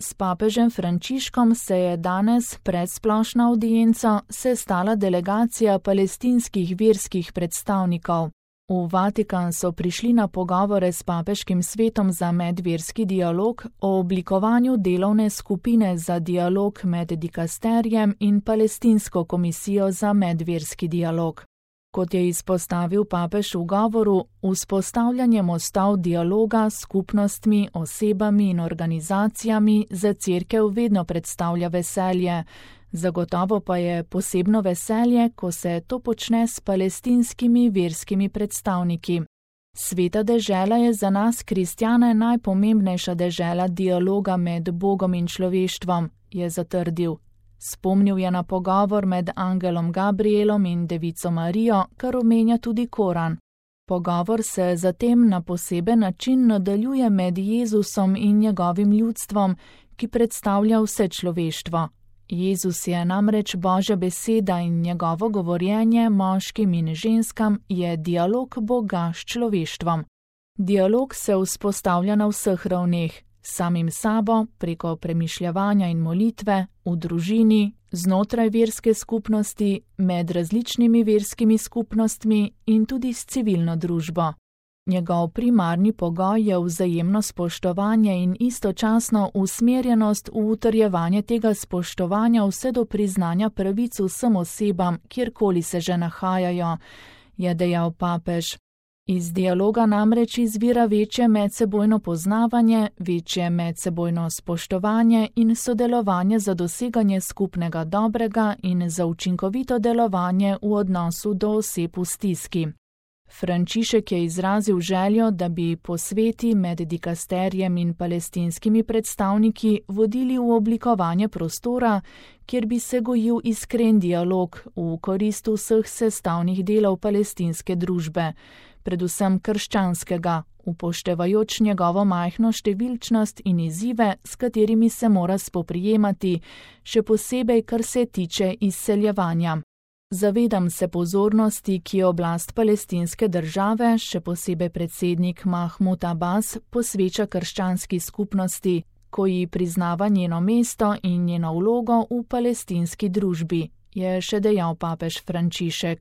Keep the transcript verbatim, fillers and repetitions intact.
S papežem Frančiškom se je danes pred splošno avdienco sestala delegacija palestinskih verskih predstavnikov. V Vatikan so prišli na pogovore s papeškim svetom za medverski dialog o oblikovanju delovne skupine za dialog med dikasterjem in Palestinsko komisijo za medverski dialog. Kot je izpostavil papež v govoru, vzpostavljanje mostov dialoga s skupnostmi, osebami in organizacijami za cerkev vedno predstavlja veselje. Zagotovo pa je posebno veselje, ko se to počne s palestinskimi verskimi predstavniki. Sveta dežela je za nas, kristjane, najpomembnejša dežela dialoga med Bogom in človeštvom, je zatrdil. Spomnil je na pogovor med angelom Gabrielom in devico Marijo, kar omenja tudi Koran. Pogovor se zatem na poseben način nadaljuje med Jezusom in njegovim ljudstvom, ki predstavlja vse človeštvo. Jezus je namreč Božja beseda in njegovo govorjenje moškim in ženskam je dialog Boga s človeštvom. Dialog se vzpostavlja na vseh ravneh, samim sabo, preko premišljevanja in molitve, v družini, znotraj verske skupnosti, med različnimi verskimi skupnostmi in tudi s civilno družbo. Njegov primarni pogoj je vzajemno spoštovanje in istočasno usmerjenost v utrjevanje tega spoštovanja vse do priznanja pravic vsem osebam, kjerkoli se že nahajajo, je dejal papež. Iz dialoga namreč izvira večje medsebojno poznavanje, večje medsebojno spoštovanje in sodelovanje za doseganje skupnega dobrega in za učinkovito delovanje v odnosu do oseb v stiski. Frančišek je izrazil željo, da bi posveti med dikasterjem in palestinskimi predstavniki vodili v oblikovanje prostora, kjer bi se gojil iskren dialog v korist vseh sestavnih delov palestinske družbe, predvsem krščanskega, upoštevajoč njegovo majhno številčnost in izzive, s katerimi se mora spoprijemati, še posebej, kar se tiče izseljevanja. Zavedam se pozornosti, ki jo oblast palestinske države, še posebej predsednik Mahmud Abbas, posveča krščanski skupnosti, ko ji priznava njeno mesto in njeno vlogo v palestinski družbi, je še dejal papež Frančišek.